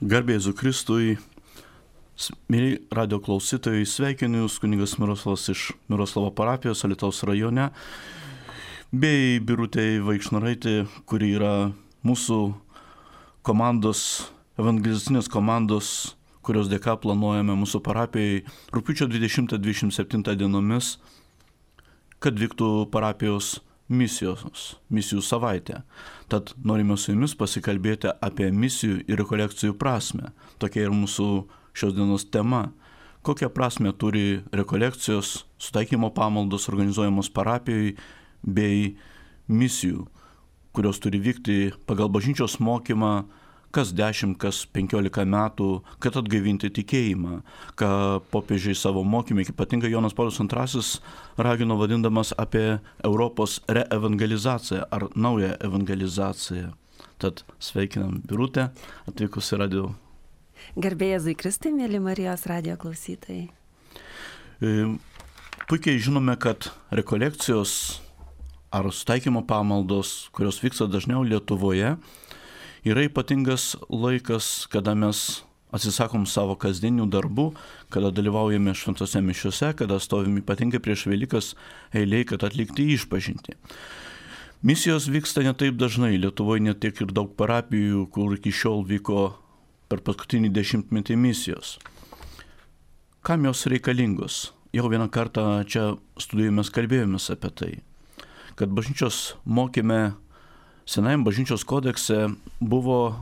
Garbė Jėzui Kristui, mėly radio klausytojai, sveikinu Jūs kunigas Miroslavas iš Miroslavo parapijos Alytaus rajone, bei Birutė Vaikšnaraitė, kuri yra mūsų komandos, evangelizacinės komandos, kurios dėka planuojame mūsų parapijai rugpjūčio 20-27 dienomis, kad vyktų parapijos misijų savaitė. Tad norime su Jumis pasikalbėti apie misijų ir rekolekcijų prasmę. Tokia ir mūsų šios dienos tema. Kokią prasmę turi rekolekcijos, sutaikymo pamaldos organizuojamos parapijoje bei misijų, kurios turi vykti pagal bažnyčios mokymą kas 10, kas 15 metų, kad atgaivinti tikėjimą, ką popiežiai savo mokymai, ypatingai Jonas Paulius II ragino vadindamas apie Europos reevangelizaciją ar naują evangelizaciją. Tad sveikinam Birutę, atvykusi radio. Garbė Jėzui Kristui, mėly Marijos radio klausytojai. Puikiai žinome, kad rekolekcijos ar sutaikymo pamaldos, kurios vyksta dažniau Lietuvoje, yra ypatingas laikas, kada mes atsisakom savo kasdienių darbų, kada dalyvaujame šventose mišiose, kada stovim ypatingai prieš Velykas eilėj, kad atlikti išpažintį. Misijos vyksta ne taip dažnai. Lietuvoje net tiek ir daug parapijų, kur iki šiol vyko per paskutinį 10-metį misijos. Kam jos reikalingos? Jau vieną kartą čia studijoje mes kalbėjomės apie tai, kad bažnyčios mokyme Senajame bažnyčios kodekse buvo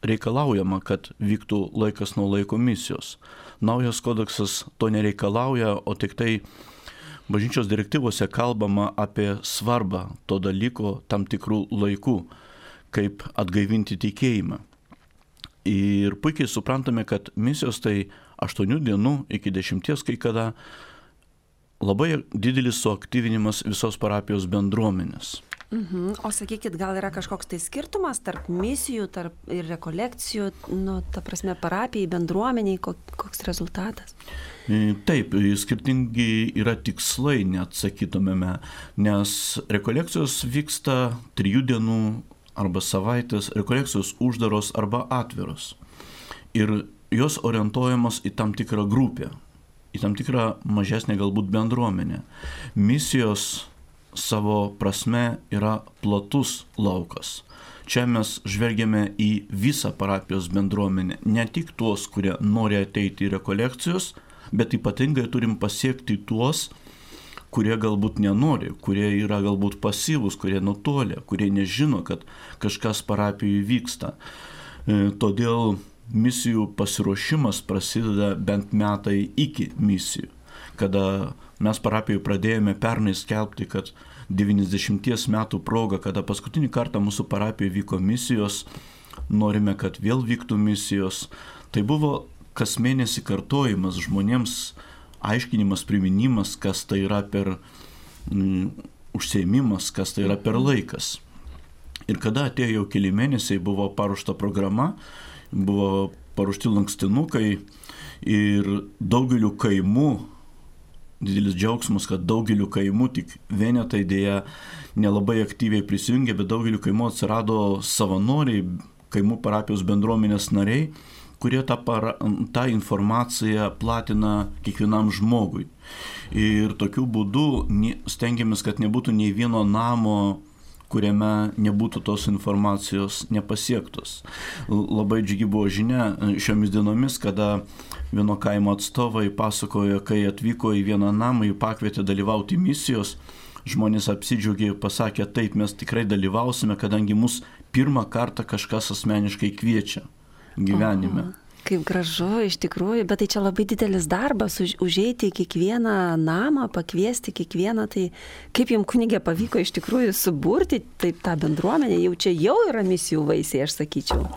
reikalaujama, kad vyktų laikas nuo laiko misijos. Naujas kodeksas to nereikalauja, o tik tai bažnyčios direktyvose kalbama apie svarbą to dalyko tam tikrų laikų, kaip atgaivinti tikėjimą. Ir puikiai suprantame, kad misijos tai 8 dienų iki 10 kai kada labai didelis suaktyvinimas visos parapijos bendruomenės. O sakykit, gal yra kažkoks tai skirtumas tarp misijų, tarp ir rekolekcijų, ta prasme parapijai, bendruomeniai, koks rezultatas? Taip, skirtingi yra tikslai, net sakytumėme, nes rekolekcijos vyksta 3 dienų arba savaitės, rekolekcijos uždaros arba atviros. Ir jos orientuojamos į tam tikrą grupę, į tam tikrą mažesnę galbūt bendruomenę. Misijos savo prasme yra platus laukas. Čia mes žvelgiame į visą parapijos bendruomenę, ne tik tuos, kurie nori ateiti į rekolekcijos, bet ypatingai turim pasiekti tuos, kurie galbūt nenori, kurie yra galbūt pasyvūs, kurie nutolę, kurie nežino, kad kažkas parapijoje vyksta. Todėl misijų pasiruošimas prasideda bent metai iki misijų. Kada mes parapijoje pradėjome pernai skelbti, kad 90 metų proga, kada paskutinį kartą mūsų parapijoje vyko misijos, norime, kad vėl vyktų misijos. Tai buvo kas mėnesį kartojimas žmonėms, aiškinimas, priminimas, kas tai yra per užsiėmimas, kas tai yra per laikas. Ir kada atėjo jau keli mėnesiai, buvo paruošta programa, buvo paruošti lankstinukai ir daugeliu kaimų, didelis džiaugsmas, kad daugeliu kaimų, tik vienetai dėja nelabai aktyviai prisijungė, bet daugeliu kaimų atsirado savanoriai, kaimų parapijos bendruomenės nariai, kurie tą informaciją platina kiekvienam žmogui. Ir tokiu būdu stengiamės, kad nebūtų nei vieno namo, kuriame nebūtų tos informacijos nepasiektos. Labai džiugi buvo žinia šiomis dienomis, kada vieno kaimo atstovai pasakojo, kai atvyko į vieną namą, jų pakvietė dalyvauti misijos, žmonės apsidžiaugė ir pasakė, taip, mes tikrai dalyvausime, kadangi mus pirmą kartą kažkas asmeniškai kviečia gyvenime. Kaip gražu, iš tikrųjų, bet tai čia labai didelis darbas, užeiti į kiekvieną namą, pakviesti kiekvieną, tai kaip jums kunigė pavyko iš tikrųjų suburti taip tą bendruomenę, jau yra misijų vaisiai, aš sakyčiau.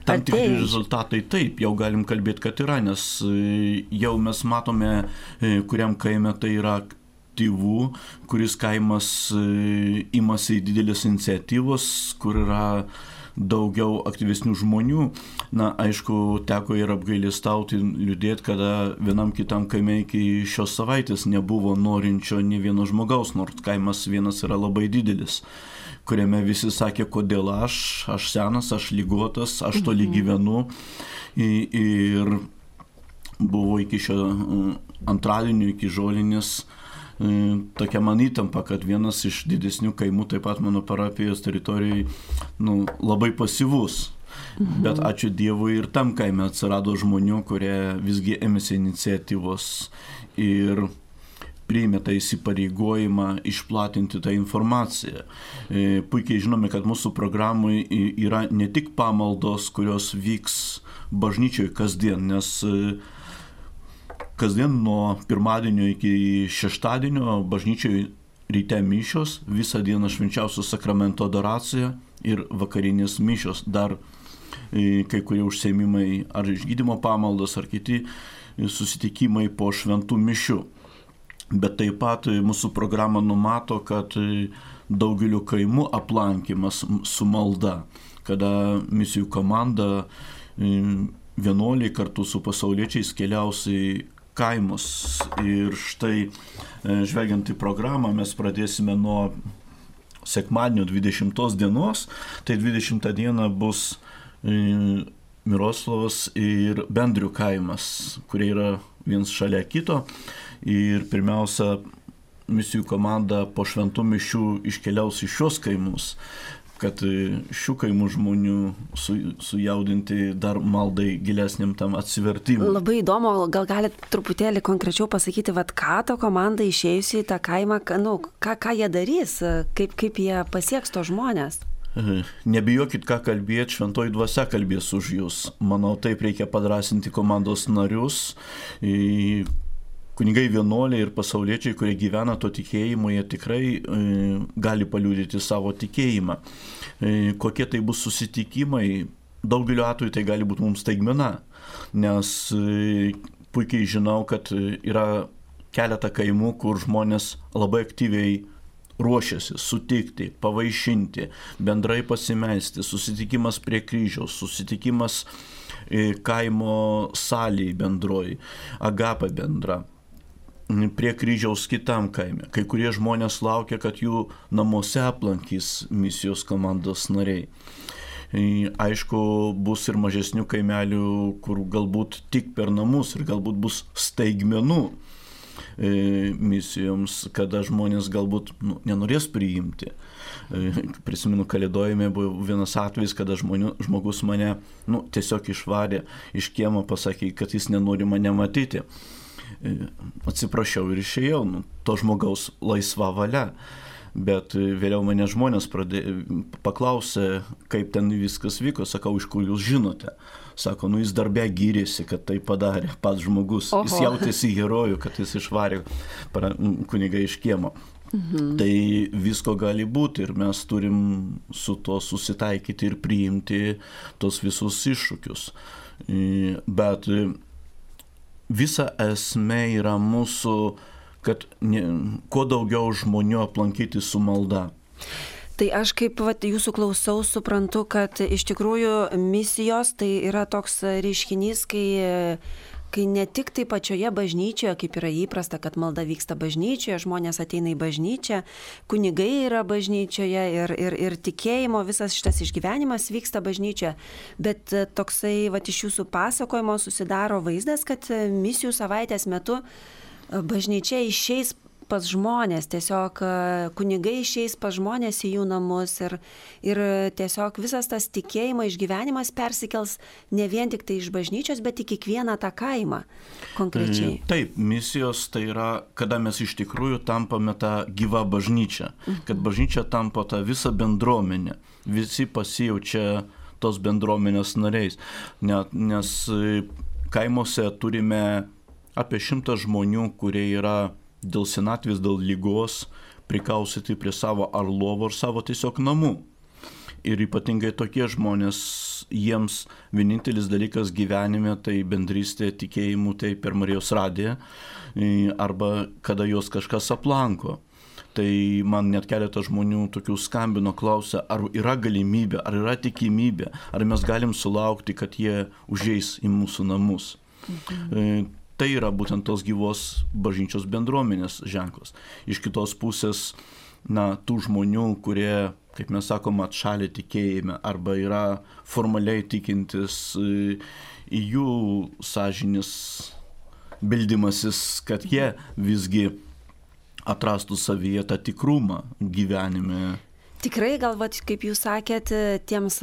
Tam tikri rezultatai taip, jau galim kalbėti, kad yra, nes jau mes matome, kuriam kaime tai yra aktyvų, kuris kaimas imasi didelės iniciatyvos, kur yra daugiau aktyvesnių žmonių. Na, aišku, teko ir apgailestauti, liūdėti, kada vienam kitam kaime iki šios savaitės nebuvo norinčio nė vieno žmogaus, nors kaimas vienas yra labai didelis, kuriame visi sakė, kodėl aš senas, aš ligotas, aš toli gyvenu. Ir buvo iki šio antradienio, iki žolinės, tokia man įtampa, kad vienas iš didesnių kaimų, taip pat mano parapijos teritorijai, labai pasyvus. Bet ačiū Dievui ir tam kaime atsirado žmonių, kurie visgi ėmėsi iniciatyvos ir priėmė tą įsipareigojimą išplatinti tą informaciją. Puikiai žinome, kad mūsų programai yra ne tik pamaldos, kurios vyks bažnyčioje kasdien, nes kasdien nuo pirmadienio iki šeštadienio bažnyčioje ryte mišios, visą dieną švenčiausio sakramento adoracija ir vakarinės mišios. Dar kai kurie užsiėmimai ar išgydymo pamaldos, ar kiti susitikimai po šventų mišių. Bet taip pat mūsų programa numato, kad daugeliu kaimų aplankymas su malda, kada misijų komanda vienuoliai kartu su pasauliečiais keliaus į kaimus. Ir štai, žvelgiant į programą, mes pradėsime nuo sekmadienio 20 dienos, tai 20 dieną bus Miroslavas ir Bendrių kaimas, kurie yra viens šalia kito. Ir pirmiausia, misijų komanda po šventų mišių iškeliaus į šios kaimus, kad šių kaimų žmonių sujaudinti dar maldai gilesniam tam atsivertimui. Labai įdomu, gal galite truputėlį konkrečiau pasakyti, ką ta komanda išėjusi į tą kaimą, ką jie darys, kaip jie pasieks to žmonės? Nebijokit, ką kalbėti, šventoji dvasia kalbės už jūs. Manau, taip reikia padrasinti komandos narius. Kunigai vienuoliai ir pasauliečiai, kurie gyvena to tikėjimu, jie tikrai gali paliudyti savo tikėjimą. Kokie tai bus susitikimai, daugeliu atveju tai gali būti mums staigmena, nes puikiai žinau, kad yra keletą kaimų, kur žmonės labai aktyviai ruošiasi sutikti, pavaišinti, bendrai pasimelsti, susitikimas prie kryžiaus, susitikimas kaimo salėje bendroji, agapa bendra, prie kryžiaus kitam kaime. Kai kurie žmonės laukia, kad jų namuose aplankys misijos komandos nariai. Aišku, bus ir mažesnių kaimelių, kur galbūt tik per namus ir galbūt bus staigmenų misijoms, kada žmonės galbūt nenorės priimti. Prisimenu, Kalėdojime buvo vienas atvejis, kada žmogus mane tiesiog išvarė iš kiemo, pasakė, kad jis nenori mane matyti. Atsiprašiau ir išėjau, to žmogaus laisva valia. Bet vėliau mane žmonės paklausė, kaip ten viskas vyko. Sakau, iš kur jūs žinote? Sako, jis darbe gyrėsi, kad tai padarė pats žmogus. Oho. Jis jautėsi herojų, kad jis išvarė kunigą iš kiemo. Tai visko gali būti ir mes turim su to susitaikyti ir priimti tos visus iššūkius. Bet visa esmė yra mūsų, kad kuo daugiau žmonių aplankyti su malda. Tai aš kaip jūsų klausau, suprantu, kad iš tikrųjų misijos tai yra toks reiškinys, kai ne tik tai pačioje bažnyčioje, kaip yra įprasta, kad malda vyksta bažnyčioje, žmonės ateina į bažnyčią, kunigai yra bažnyčioje ir tikėjimo visas šitas išgyvenimas vyksta bažnyčioje. Bet toksai iš jūsų pasakojimo susidaro vaizdas, kad misijų savaitės metu bažnyčia išeis pas žmonės, tiesiog kunigai išeis pas žmonės į jų namus ir tiesiog visas tas tikėjimo išgyvenimas persikels ne vien tik tai iš bažnyčios, bet į kiekvieną tą kaimą konkrečiai. Taip, misijos tai yra, kada mes iš tikrųjų tampame tą gyvą bažnyčią, kad bažnyčia tampa tą visą bendruomenę, visi pasijaučia tos bendruomenės nariais, nes kaimuose turime apie 100 žmonių, kurie yra dėl senatvės, dėl lygos prikausyti prie savo ar lovų ar savo tiesiog namų. Ir ypatingai tokie žmonės, jiems vienintelis dalykas gyvenime tai bendrystė tikėjimu, tai per Marijos radiją arba kada jos kažkas aplanko. Tai man net keletą žmonių tokių skambino, klausia, ar yra galimybė, ar yra tikimybė, ar mes galim sulaukti, kad jie užeis į mūsų namus. Tai yra būtent tos gyvos bažnyčios bendruomenės ženklas. Iš kitos pusės tų žmonių, kurie, kaip mes sakom, atšalė tikėjime arba yra formaliai tikintis, į jų sąžinės bildymasis, kad jie visgi atrastų savyje tą tikrumą gyvenime. Tikrai, galbūt, kaip jūs sakėt, tiems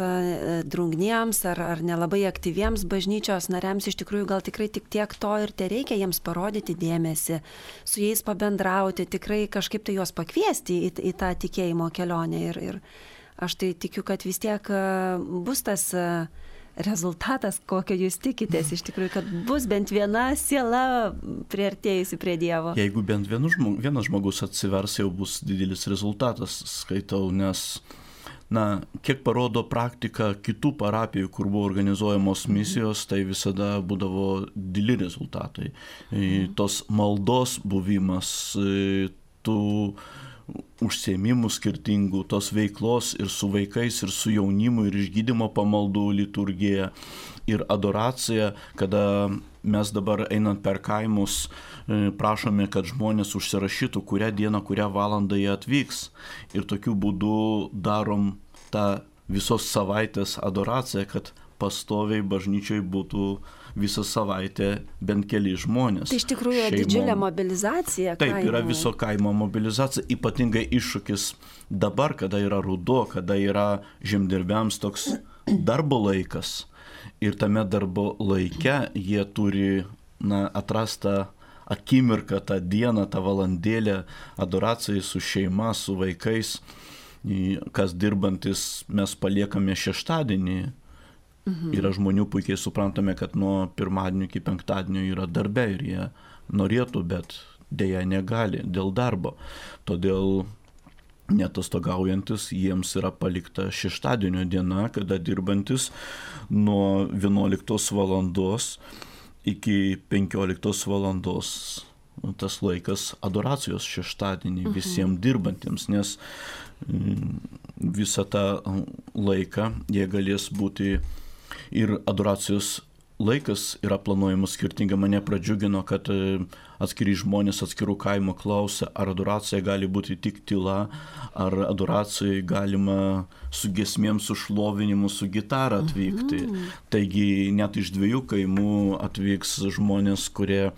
drungniems ar nelabai aktyviems bažnyčios nariams iš tikrųjų gal tikrai tik tiek to ir tereikia jiems parodyti dėmesį, su jais pabendrauti, tikrai kažkaip tai juos pakviesti į tą tikėjimo kelionę. Ir aš tai tikiu, kad vis tiek bus tas rezultatas, kokio jūs tikitės, iš tikrųjų, kad bus bent viena siela priartėjusi prie Dievo. Jeigu bent vienas žmogus atsivers, jau bus didelis rezultatas, skaitau, nes, kiek parodo praktika kitų parapijų, kur buvo organizuojamos misijos, tai visada būdavo dideli rezultatai. Tos maldos buvimas, tų užsiėmimų skirtingų, tos veiklos ir su vaikais, ir su jaunimu, ir išgydymo pamaldų liturgija, ir adoracija, kada mes dabar einant per kaimus prašome, kad žmonės užsirašytų, kurią dieną, kurią valandą jie atvyks. Ir tokiu būdu darom tą visos savaitės adoraciją, kad pastoviai bažnyčiai būtų visą savaitę bent keli žmonės. Tai iš tikrųjų didžiulė mobilizacija. Taip, yra viso kaimo mobilizacija, ypatingai iššūkis dabar, kada yra ruduo, kada yra žemdirbiams toks darbo laikas. Ir tame darbo laike jie turi atrastą akimirką, tą dieną, tą valandėlę adoracijai su šeima, su vaikais. Kas dirbantis, mes paliekame šeštadienį. Yra žmonių, puikiai suprantame, kad nuo pirmadienio iki penktadienio yra darbe ir jie norėtų, bet dėja negali dėl darbo. Todėl netostogaujantis jiems yra palikta šeštadienio diena, kada dirbantis nuo 11 valandos iki 15 valandos. Tas laikas adoracijos šeštadienį visiems dirbantiems, nes visą tą laiką jie galės būti ir adoracijos laikas yra planuojamas skirtingai. Mane pradžiugino, kad atskiri žmonės atskirų kaimo klausia, ar adoracija gali būti tik tyla, ar adoracijai galima su giesmėm, su šlovinimu, su gitara atvykti. Taigi net iš 2 kaimų atvyks žmonės, kurie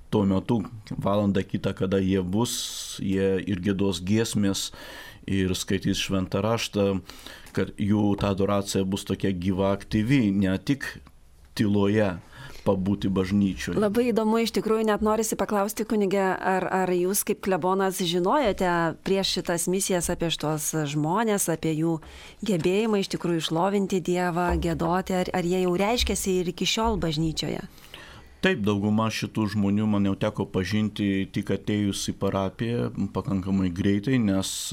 tuo metu valandą kitą, kada jie bus, jie ir giedos giesmės ir skaitys šventą raštą, kad jų ta adoracija bus tokia gyva, aktyvi, ne tik tyloje pabūti bažnyčioje. Labai įdomu, iš tikrųjų, net norisi paklausti, kunige, ar jūs kaip klebonas žinojote prieš šitas misijas apie šitos žmonės, apie jų gebėjimą iš tikrųjų šlovinti Dievą, giedoti, ar jie jau reiškiasi ir iki šiol bažnyčioje? Taip, dauguma šitų žmonių man jau teko pažinti tik atėjus į parapiją pakankamai greitai, nes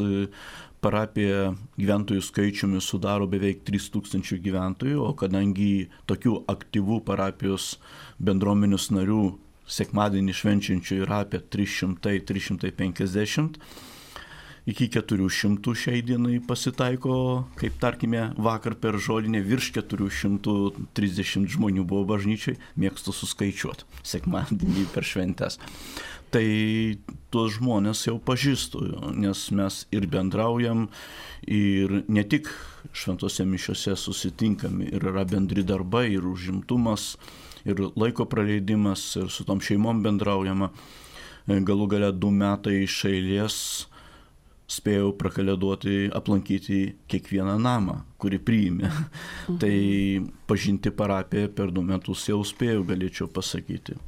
parapija gyventojų skaičiumi sudaro beveik 3000 gyventojų, o kadangi tokių aktyvų parapijos bendruomenės narių sekmadienį švenčiančių yra apie 300-350, iki 400 šiai dienai pasitaiko, kaip tarkime vakar per žolinę virš 430 žmonių buvo bažnyčiai, mėgstu suskaičiuoti sekmadienį per šventes. Tai tuos žmonės jau pažįstu, nes mes ir bendraujam, ir ne tik šventose mišiose susitinkami, ir yra bendri darbai, ir užimtumas, ir laiko praleidimas, ir su tom šeimom bendraujama. Galų gale 2 metai iš eilės spėjau prakalėduoti, aplankyti kiekvieną namą, kurį priėmė. Tai pažinti parapiją per 2 metus jau spėjau, galėčiau pasakyti.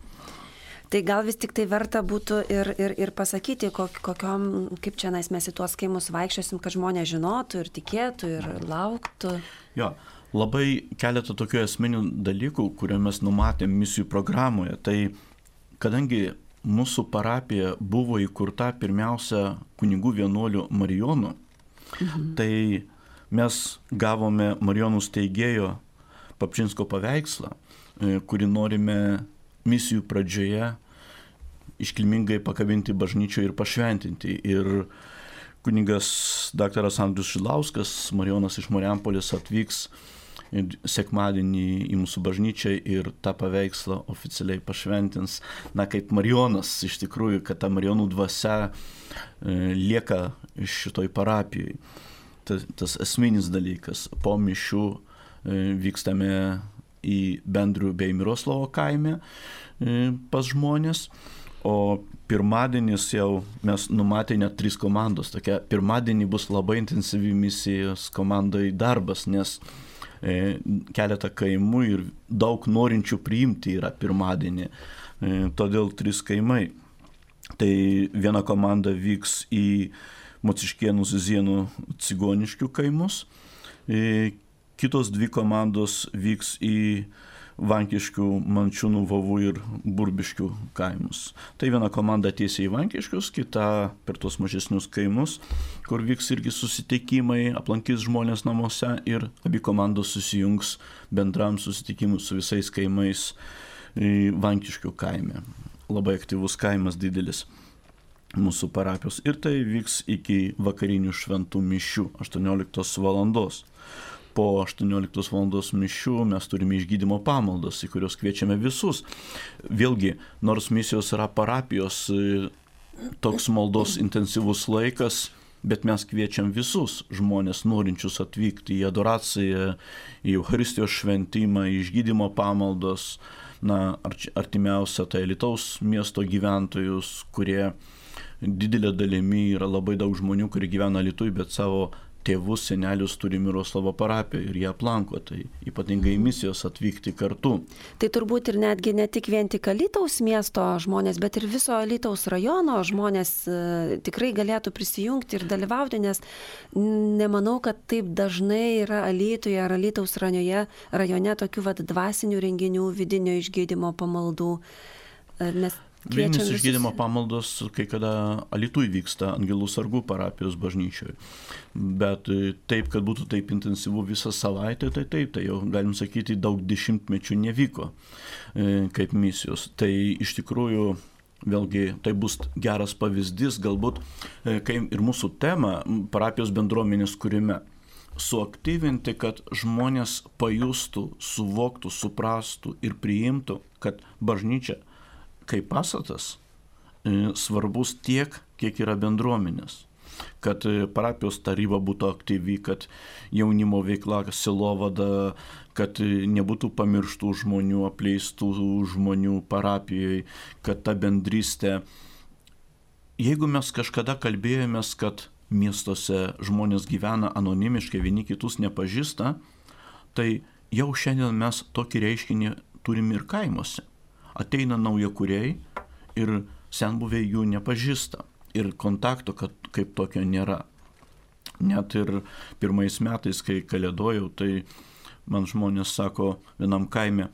Tai gal vis tik tai verta būtų ir pasakyti, kokiom, kaip čia mes į tuos kaimus vaikščiosim, kad žmonės žinotų ir tikėtų ir lauktų. Jo, labai keletą tokių esminių dalykų, kurie mes numatėm misijų programoje. Tai kadangi mūsų parapija buvo įkurta pirmiausia kunigų vienuolių Marijonų, tai mes gavome Marijonų steigėjo Papčinsko paveikslą, kurį norime misijų pradžioje iškilmingai pakabinti bažnyčioje ir pašventinti. Ir kunigas daktaras Andrius Šilauskas, Marijonas iš Marijampolės, atvyks sekmadienį į mūsų bažnyčią ir tą paveikslą oficialiai pašventins, kaip Marijonas iš tikrųjų, kad ta Marijonų dvasia lieka šitoj parapijai. Tas esminis dalykas. Po mišių vykstame į Bendrių bei Miroslavo kaime pas žmonės, o pirmadienis jau mes numatė net 3 komandos. Tokia pirmadienį bus labai intensyvi misijos komandai darbas, nes keletą kaimų ir daug norinčių priimti yra pirmadienį. Todėl 3 kaimai. Tai viena komanda vyks į Mociškėnų, Zizienų, Cigoniškių kaimus. Kitos 2 komandos vyks į Vankiškių, Mančiūnų, Vovų ir Burbiškių kaimus. Tai viena komanda tiesiai į Vankiškius, kita per tuos mažesnius kaimus, kur vyks irgi susitikimai, aplankys žmonės namuose ir abi komandos susijungs bendram susitikimui su visais kaimais Vankiškių kaime. Labai aktyvus kaimas didelis mūsų parapijos. Ir tai vyks iki vakarinių šventų mišių 18 valandos. Po 18 valandos mišių mes turime išgydymo pamaldas, į kurios kviečiame visus. Vėlgi, nors misijos yra parapijos toks maldos intensyvus laikas, bet mes kviečiam visus žmonės norinčius atvykti į adoraciją, į Eucharistijos šventimą, į išgydymo pamaldas, artimiausia tai Alytaus miesto gyventojus, kurie didelė dalimi yra labai daug žmonių, kurie gyvena Alytuje, bet savo tėvus, senelius turi Miroslavo parapijoje ir jie aplanko, tai ypatingai misijos atvykti kartu. Tai turbūt ir netgi ne tik Alytaus miesto žmonės, bet ir viso Alytaus rajono žmonės tikrai galėtų prisijungti ir dalyvauti, nes nemanau, kad taip dažnai yra Alytuje ar Alytaus rajone tokių dvasinių renginių, vidinio išgydymo pamaldų. Vienas išgydymo pamaldos kai kada Alytuje vyksta Angelų sargų parapijos bažnyčioje. Bet taip, kad būtų taip intensyvu visą savaitę, tai jau galim sakyti, daug dešimtmečių nevyko kaip misijos. Tai iš tikrųjų, vėlgi, tai bus geras pavyzdys, galbūt, kai ir mūsų tema parapijos bendruomenės kūrime. Suaktyvinti, kad žmonės pajustų, suvoktų, suprastų ir priimtų, kad bažnyčia kaip pastatas svarbus tiek, kiek yra bendruomenės. Kad parapijos taryba būtų aktyvi, kad jaunimo veikla, sielovada, kad nebūtų pamirštų žmonių, apleistų žmonių parapijoje, kad ta bendrystė. Jeigu mes kažkada kalbėjomės, kad miestuose žmonės gyvena anonimiškai, vieni kitus nepažįsta, tai jau šiandien mes tokį reiškinį turime ir kaimuose. Ateina naujakuriai ir senbuviai jų nepažįsta ir kontakto kaip tokio nėra. Net ir pirmais metais, kai kalėdojau, tai man žmonės sako vienam kaime,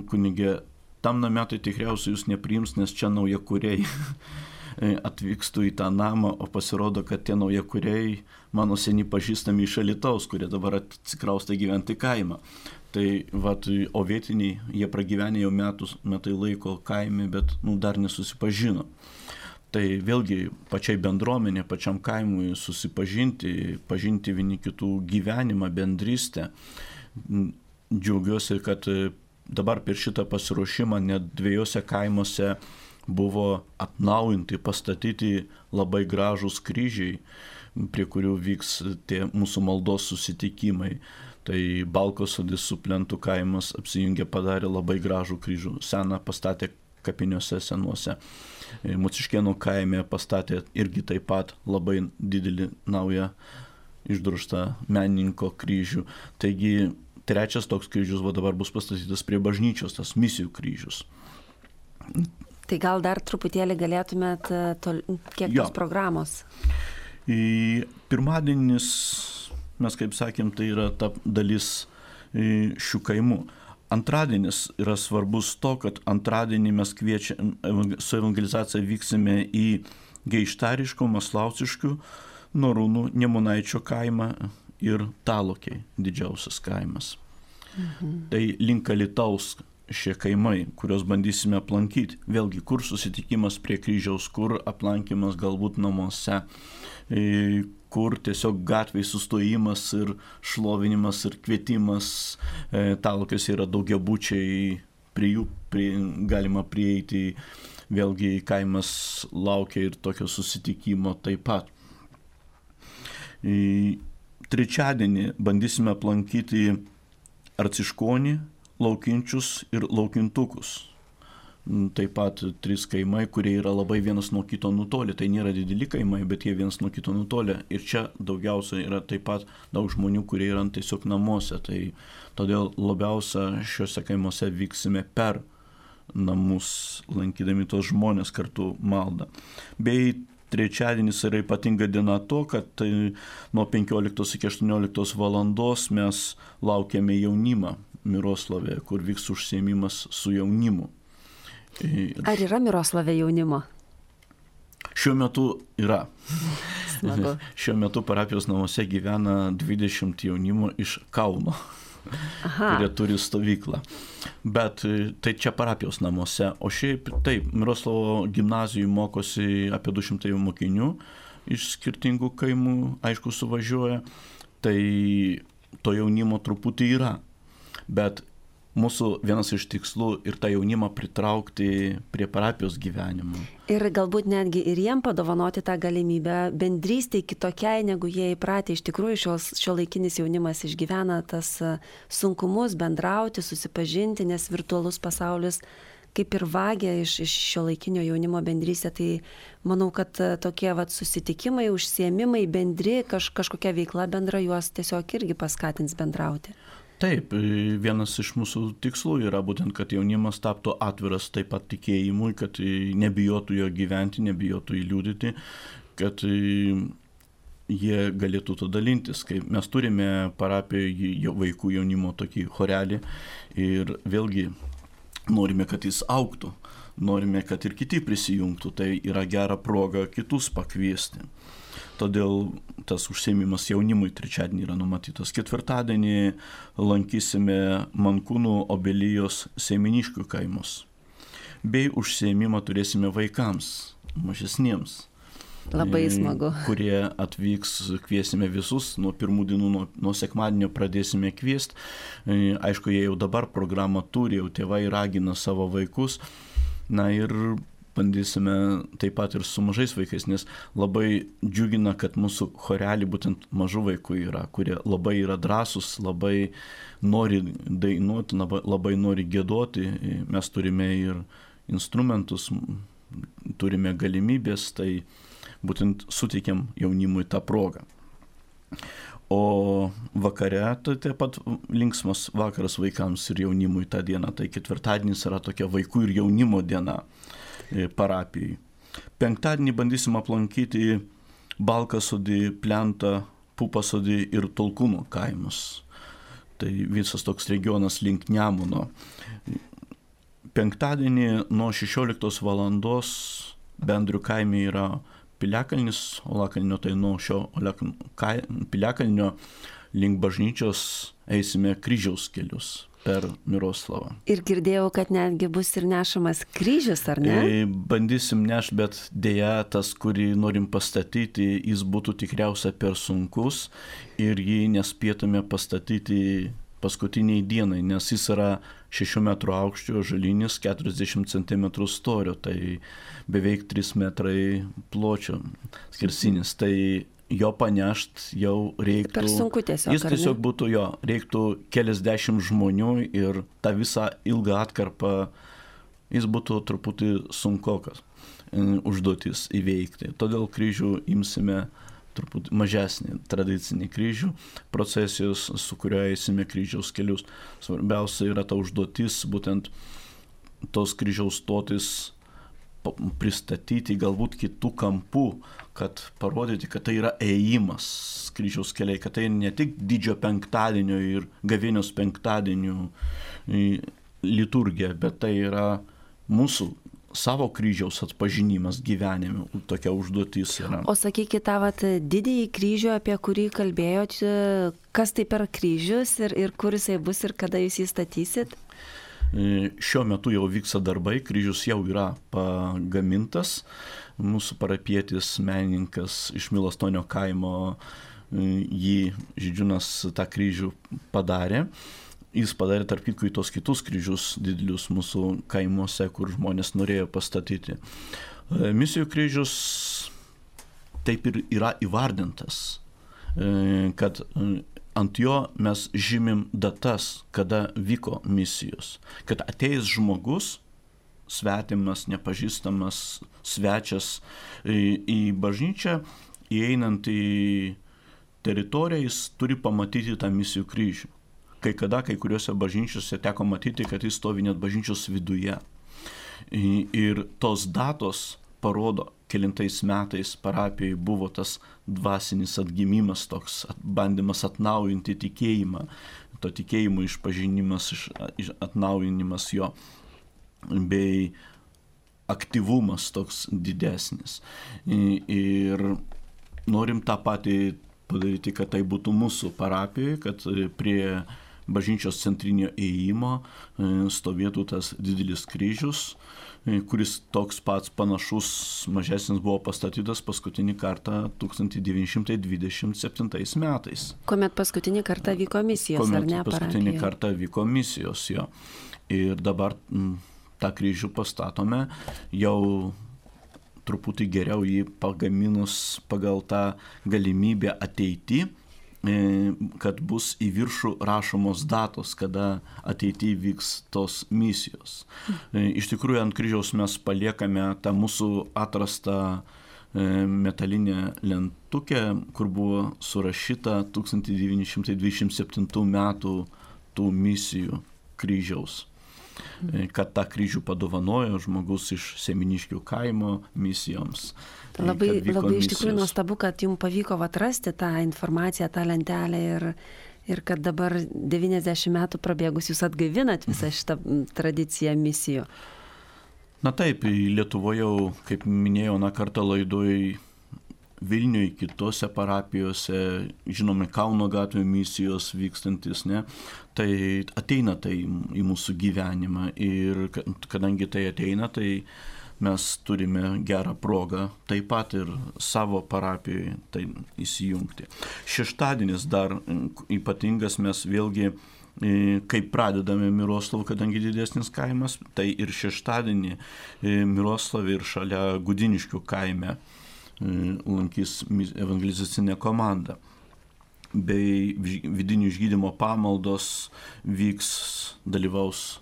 kunige, tam name tai tikriausiai jūs nepriims, nes čia naujakuriai. Atvykstu į tą namą, o pasirodo, kad tie naujakuriai mano seni pažįstami iš Alytaus, kurie dabar atsikraustė gyventi kaimą. Tai o vietiniai, jie pragyvenė jau metai laiko kaime, bet dar nesusipažino. Tai vėlgi pačiai bendruomenė, pačiam kaimui susipažinti, pažinti vieni kitų gyvenimą, bendrystę. Džiaugiuosi, kad dabar per šitą pasiruošimą net 2 kaimuose buvo atnaujinti, pastatyti labai gražūs kryžiai, prie kurių vyks tie mūsų maldos susitikimai. Tai Balkosodis su Plentų kaimas apsijungė, padarė labai gražų kryžių. Seną pastatė kapiniuose senuose. Mociškėnų kaime pastatė irgi taip pat labai didelį naują išdrožtą menininko kryžių. Taigi 3 toks kryžius dabar bus pastatytas prie bažnyčios, tas misijų kryžius. Tai gal dar truputėlį galėtumėt kiek tos programos? Pirmadienis, mes kaip sakėm, tai yra ta dalis šių kaimų. Antradienis yra svarbus to, kad antradienį mes su evangelizacija vyksime į Geištariškų, Maslauciškių, Norūnų, Nemunaičio kaimą ir Talokiai, didžiausias kaimas. Tai link Alytaus šie kaimai, kuriuos bandysime aplankyti. Vėlgi, kur susitikimas prie kryžiaus, kur aplankymas galbūt namuose, kur tiesiog gatvėje sustojimas ir šlovinimas ir kvietimas, talkas yra daugiabučiai, prie jų galima prieiti, vėlgi kaimas laukia ir tokio susitikimo taip pat. Trečiadienį bandysime aplankyti Arciškonį, Laukinčius ir Laukintukus. Taip pat 3 kaimai, kurie yra labai vienas nuo kito nutolę. Tai nėra dideli kaimai, bet jie vienas nuo kito nutolę. Ir čia daugiausia yra taip pat daug žmonių, kurie yra tiesiog namuose. Tai todėl labiausia šiuose kaimuose vyksime per namus, lankydami tos žmonės kartu maldą. Bei trečiadienis yra ypatinga diena to, kad nuo 15 iki 18 valandos mes laukiame jaunimą Miroslavėje, kur vyks užsiėmimas su jaunimu. Ar yra Miroslavė jaunimo? Šiuo metu yra. Smagu. Šiuo metu parapijos namuose gyvena 20 jaunimo iš Kauno, kurie turi stovyklą. Bet tai čia parapijos namuose. O šiaip taip, Miroslavo gimnazijų mokosi apie 200 mokinių iš skirtingų kaimų, aišku, suvažiuoja. Tai to jaunimo truputį yra. Bet mūsų vienas iš tikslų ir tą jaunimą pritraukti prie parapijos gyvenimo. Ir galbūt netgi ir jiem padovanoti tą galimybę bendrystei kitokiai, negu jie įpratę. Iš tikrųjų, šiuolaikinis jaunimas išgyvena tas sunkumus bendrauti, susipažinti, nes virtualus pasaulis kaip ir vagia iš šiuolaikinio jaunimo bendrystę. Tai manau, kad tokie susitikimai, užsiėmimai bendri, kažkokia veikla bendra juos tiesiog irgi paskatins bendrauti. Taip, vienas iš mūsų tikslų yra būtent, kad jaunimas taptų atviras taip pat tikėjimui, kad nebijotų jo gyventi, nebijotų įliūdyti, kad jie galėtų to dalintis. Kai mes turime parapijoje vaikų jaunimo tokį chorelį ir vėlgi norime, kad jis augtų, norime, kad ir kiti prisijungtų, tai yra gera proga kitus pakviesti. Todėl tas užsiėmimas jaunimui trečiadienį yra numatytas. Ketvirtadienį lankysime Mankūnų Obelijos Seiminiškių kaimus. Bei užsiėmimą turėsime vaikams, mažesniems. Labai smagu. Kurie atvyks, kviesime visus, nuo pirmų dienų, nuo sekmadienio pradėsime kviesti. Aišku, jie jau dabar programą turi, jau tėvai ragina savo vaikus. Na ir bandysime taip pat ir su mažais vaikais, nes labai džiugina, kad mūsų chorelį būtent mažų vaikų yra, kurie labai yra drąsūs, labai nori dainuoti, labai nori giedoti. Mes turime ir instrumentus, turime galimybės, tai būtent suteikiam jaunimui tą progą. O vakare tai taip pat linksmas vakaras vaikams ir jaunimui tą dieną. Tai ketvirtadienis yra tokia vaikų ir jaunimo diena parapijai. Penktadienį bandysim aplankyti Balkasodį, Plentą, Pupasodį ir Tolkūnų kaimus. Tai visas toks regionas link Nemuno. Penktadienį nuo 16 valandos Bendrių kaime yra Piliakalnis, Olakalnio, tai nuo šio Piliakalnio link bažnyčios eisime kryžiaus kelius per Miroslavą. Ir girdėjau, kad netgi bus ir nešamas kryžius, ar ne? Bandysim nešti, bet dėja tas, kurį norim pastatyti, jis būtų tikriausia per sunkus ir jį nespėtume pastatyti paskutiniai dienai, nes jis yra 6 metrų aukščio, žalinis, 40 cm storio, tai beveik 3 metrai pločio skersinis. Tai jo panešt jau reiktų. Per sunku tiesiog. Jis tiesiog būtų reiktų keliasdešimt žmonių ir tą visą ilgą atkarpą jis būtų truputį sunkokas užduotis įveikti. Todėl kryžių imsime truputį mažesnį tradicinį kryžių, procesijos, su kuriuo eisime kryžiaus kelius. Svarbiausia yra ta užduotis, būtent tos kryžiaus stotis pristatyti galbūt kitų kampų, kad parodyti, kad tai yra ėjimas kryžiaus keliai, kad tai ne tik didžiojo penktadienio ir gavėnios penktadienio liturgija, bet tai yra mūsų savo kryžiaus atpažinimas gyvenime, tokia užduotis yra. O sakykite, tą didįjį kryžių, apie kurį kalbėjot, kas tai per kryžius ir kur jisai bus ir kada jūs jį statysit? Šiuo metu jau vyksta darbai, kryžius jau yra pagamintas. Mūsų parapietis menininkas iš Milastonio kaimo jį Žydžiūnas tą kryžių padarė. Jis padarė tarp kitko į tos kitus kryžius didelius mūsų kaimuose, kur žmonės norėjo pastatyti. Misijų kryžius taip ir yra įvardintas, kad ant jo mes žymim datas, kada vyko misijos. Kad ateis žmogus, svetimas, nepažįstamas, svečias į bažnyčią, įeinant į teritoriją, jis turi pamatyti tą misijų kryžių. Kai kuriuose bažnyčiose teko matyti, kad jis stovi net bažnyčios viduje. Ir tos datos parodo, kelintais metais parapijai buvo tas dvasinis atgimimas, toks bandymas atnaujinti tikėjimą, to tikėjimo išpažinimas, atnaujinimas jo, bei aktyvumas toks didesnis. Ir norim tą patį padaryti, kad tai būtų mūsų parapijoje, kad prie bažnyčios centrinio įėjimo stovėtų tas didelis kryžius, kuris toks pats panašus, mažesnis buvo pastatytas paskutinį kartą 1927 metais. Kuomet paskutinį kartą vyko misijos, ar ne? Paskutinį kartą vyko misijos, jo. Ir dabar tą kryžių pastatome, jau truputį geriau jį pagaminus pagal tą galimybę ateity, kad bus į viršų rašomos datos, kada ateityje vyks tos misijos. Iš tikrųjų, ant kryžiaus mes paliekame tą mūsų atrastą metalinę lentukę, kur buvo surašyta 1927 metų tų misijų kryžiaus. Kad tą kryžių padovanojo žmogus iš Seminiškių kaimo misijoms. Labai iš tikrųjų nuostabu, kad jums pavyko atrasti tą informaciją, tą lentelę ir kad dabar 90 metų prabėgus jūs atgaivinat visą šitą tradiciją misijų. Na taip, Lietuvoje jau, kaip minėjau, kartą laidoj Vilniuje, kitose parapijose, žinome, Kauno gatvė misijos vykstantis, ne? Tai ateina tai į mūsų gyvenimą ir kadangi tai ateina, tai mes turime gerą progą taip pat ir savo parapijoje tai įsijungti. Šeštadienis dar ypatingas, mes vėlgi, kai pradedame Miroslavą, kadangi didesnis kaimas, tai ir šeštadienį Miroslavė ir šalia Gudiniškių kaime lankys evangelizacinė komanda. Bei vidinių išgydymo pamaldos vyks, dalyvaus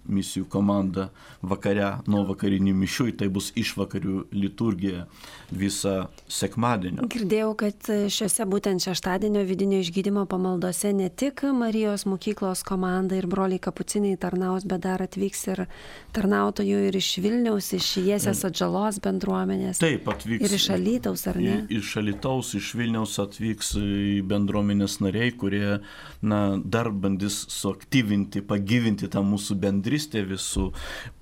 misijų komanda vakare nuo vakarinių mišių, tai bus išvakarių liturgija visą sekmadienį. Girdėjau, kad šiuose būtent šeštadienio vidinio išgydymo pamaldose ne tik Marijos mokyklos komanda ir broliai kapucinai tarnaus, bet dar atvyks ir tarnautojų ir iš Vilniaus, iš Jiesės Atžalos bendruomenės. Taip, atvyks. Ir iš Alytaus, ar ne? Iš Alytaus, iš Vilniaus atvyks bendruomenės nariai, kurie dar bandys suaktyvinti, pagyvinti tą mūsų bendrystę visų,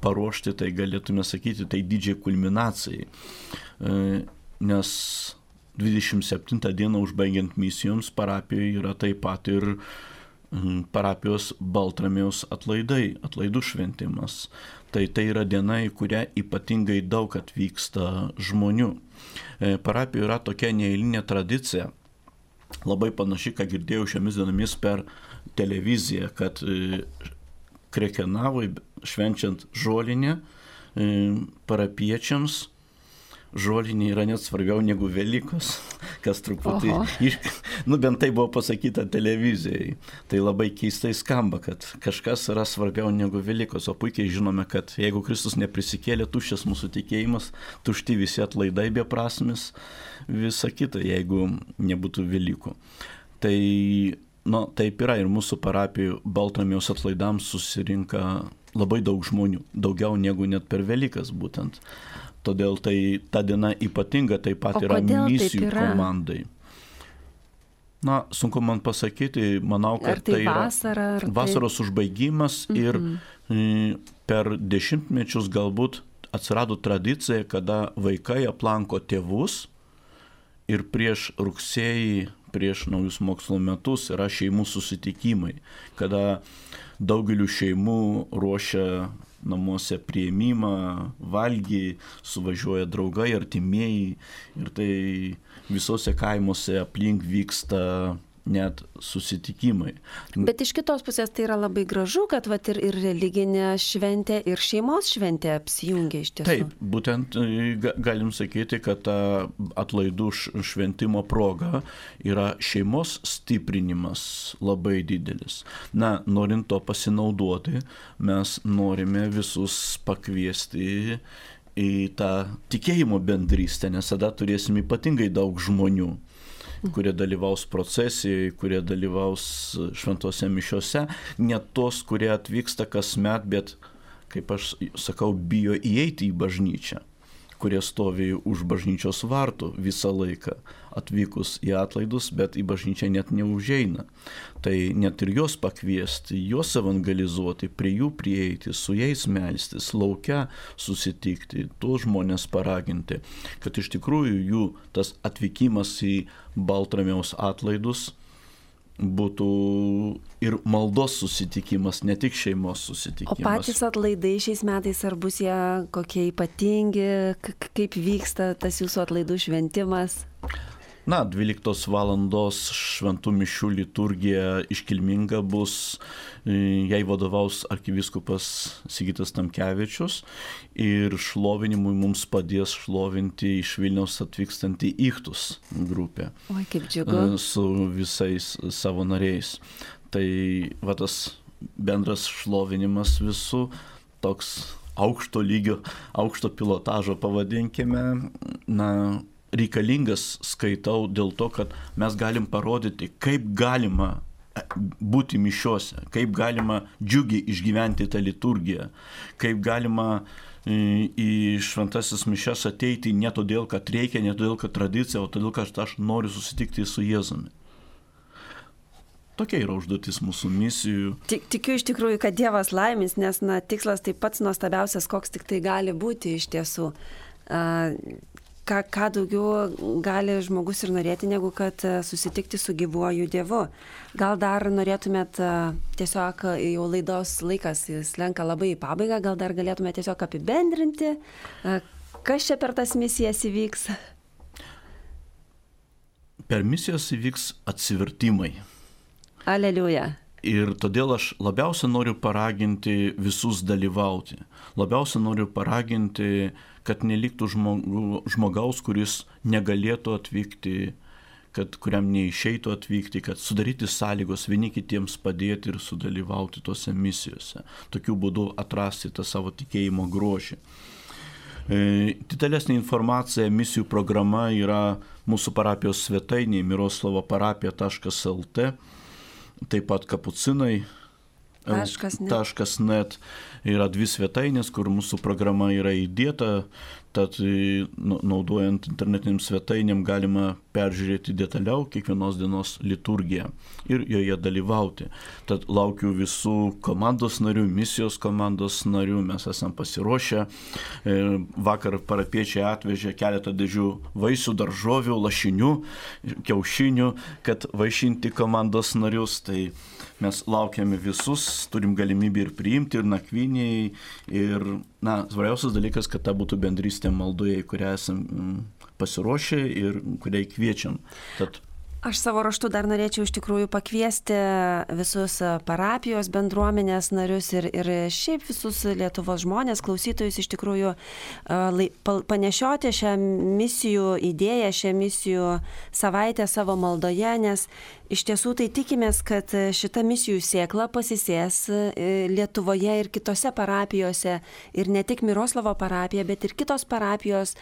paruošti, tai galėtume sakyti, tai didžiai kulminacijai. Nes 27 dieną užbaigiant misijoms parapijoje yra taip pat ir parapijos Baltramiejaus atlaidų šventimas. Tai yra diena, į kurią ypatingai daug atvyksta žmonių. Parapijoje yra tokia neeilinė tradicija, labai panaši, ką girdėjau šiomis dienomis per televiziją, kad Krekenavai švenčiant žolinę parapiečiams, žolinė yra net svarbiau negu Velykos, kas truputį, bent tai buvo pasakyta televizijai. Tai labai keistai skamba, kad kažkas yra svarbiau negu Velykos, o puikiai žinome, kad jeigu Kristus neprisikėlė, tuščias mūsų tikėjimas, tušti visi atlaidai beprasmis, visa kita, jeigu nebūtų Velykų. Tai taip yra ir mūsų parapijų Baltramiejaus atlaidams susirinka labai daug žmonių, daugiau negu net per Velykas būtent. Todėl ta diena ypatinga taip pat yra misijų komandai. Sunku man pasakyti, manau, kad tai yra vasaros užbaigimas ir per dešimtmečius galbūt atsirado tradicija, kada vaikai aplanko tėvus ir prieš rugsėjį prieš naujus mokslo metus yra šeimų susitikimai, kada daugeliu šeimų ruošia namuose priėmimą, valgy, suvažiuoja draugai, artimieji ir tai visose kaimuose aplink vyksta net susitikimai. Bet iš kitos pusės tai yra labai gražu, kad vat, ir religinė šventė, ir šeimos šventė apsijungia iš tiesų. Taip, būtent galim sakyti, kad ta atlaidų šventimo proga yra šeimos stiprinimas labai didelis. Na, norint to pasinaudoti, mes norime visus pakviesti į tą tikėjimo bendrystę, nes tada turėsim ypatingai daug žmonių, kurie dalyvaus procesijoje, kurie dalyvaus šventose mišiose, ne tos, kurie atvyksta kasmet, bet, kaip aš sakau, bijo įeiti į bažnyčią, kurie stovi už bažnyčios vartų visą laiką atvykus į atlaidus, bet į bažnyčią net neužeina. Tai net ir juos pakviesti, juos evangelizuoti, prie jų prieiti, su jais melstis, lauke susitikti, tuos žmonės paraginti, kad iš tikrųjų jų tas atvykimas į Baltramiaus atlaidus būtų ir maldos susitikimas, ne tik šeimos susitikimas. O patys atlaidai šiais metais, ar bus jie kokie ypatingi, kaip vyksta tas jūsų atlaidų šventimas? Na, 12 valandos šventų mišių liturgija iškilminga bus, jai vadovaus arkivyskupas Sigitas Tamkevičius ir šlovinimui mums padės šlovinti iš Vilniaus atvykstantį Ichtus grupę. Oi, kaip džiugu. Su visais savo nariais. Tai va tas bendras šlovinimas visų, toks aukšto lygio, aukšto pilotažo pavadinkime, na, reikalingas, skaitau, dėl to, kad mes galim parodyti, kaip galima būti mišiose, kaip galima džiugiai išgyventi tą liturgiją, kaip galima į šventasis mišias ateiti ne todėl, kad reikia, ne todėl, kad tradicija, o todėl, kad aš noriu susitikti su Jėzumi. Tokia yra užduotis mūsų misijų. Tikiu iš tikrųjų, kad Dievas laimins, nes tikslas tai pats nuostabiausias, koks tik tai gali būti iš tiesų. Ką daugiau gali žmogus ir norėti, negu kad susitikti su gyvuoju Dievu. Gal dar norėtumėt tiesiog, jau laidos laikas slenka labai į pabaigą, gal dar galėtumėt tiesiog apibendrinti, kas čia per tas misijas įvyks? Per misijas įvyks atsivertimai. Aleliuja. Ir todėl aš labiausia noriu paraginti visus dalyvauti. Labiausia noriu paraginti, kad neliktų žmogaus, kuris negalėtų atvykti, kuriam neišeitų atvykti, kad sudaryti sąlygos vieni kitiems padėti ir sudalyvauti tose misijose. Tokiu būdu atrasti tą savo tikėjimo grožį. Didelesnė informacija, misijų programa yra mūsų parapijos svetainėje miroslavparapija.lt. Taip pat kapucinai. .net yra 2 svetainės, kur mūsų programa yra įdėta, tad naudojant internetiniam svetainėm galima peržiūrėti detaliau kiekvienos dienos liturgiją ir joje dalyvauti. Tad laukiu visų komandos narių, misijos komandos narių, mes esam pasiruošę. Vakar parapiečiai atvežė keletą dėžių vaisių, daržovių, lašinių, kiaušinių, kad vaišinti komandos narius. Tai mes laukiame visus, turim galimybę ir priimti, ir nakvyniai, ir, svarbiausias dalykas, kad ta būtų bendrystė maldoje, į kurią esam pasiruošę ir kuriai kviečiam. Aš savo raštu dar norėčiau iš tikrųjų pakviesti visus parapijos bendruomenės narius ir šiaip visus Lietuvos žmonės, klausytojus iš tikrųjų panešioti šią misijų idėją, šią misijų savaitę savo maldoje, nes iš tiesų tai tikimės, kad šita misijų sėkla pasisės Lietuvoje ir kitose parapijose ir ne tik Miroslavo parapija, bet ir kitos parapijos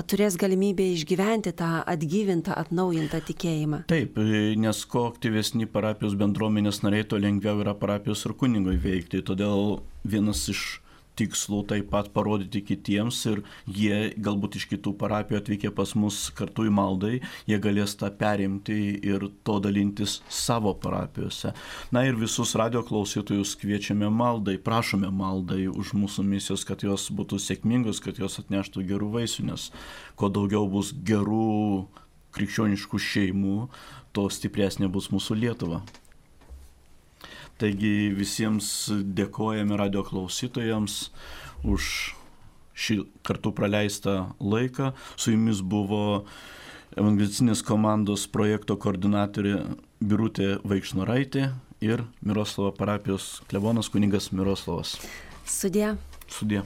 turės galimybę išgyventi tą atgyvintą, atnaujintą tikėjimą. Taip, nes kuo aktyvesni parapijos bendruomenės nariai, to lengviau yra parapijos ir kunigui veikti. Todėl vienas iš tikslų taip pat parodyti kitiems ir jie galbūt iš kitų parapijų atvykę pas mus kartu į maldai, jie galės tą perimti ir to dalintis savo parapijose. Na ir visus radio klausytojus kviečiame maldai, prašome maldai už mūsų misijos, kad jos būtų sėkmingos, kad jos atneštų gerų vaisių, nes kuo daugiau bus gerų krikščioniškų šeimų, to stipresnė bus mūsų Lietuva. Taigi visiems dėkojame radio klausytojams už šį kartu praleistą laiką. Su jumis buvo evangelicinės komandos projekto koordinatorė Birutė Vaikšnoraitė ir Miroslavo parapijos klebonas kunigas Miroslavas. Sudie. Sudie.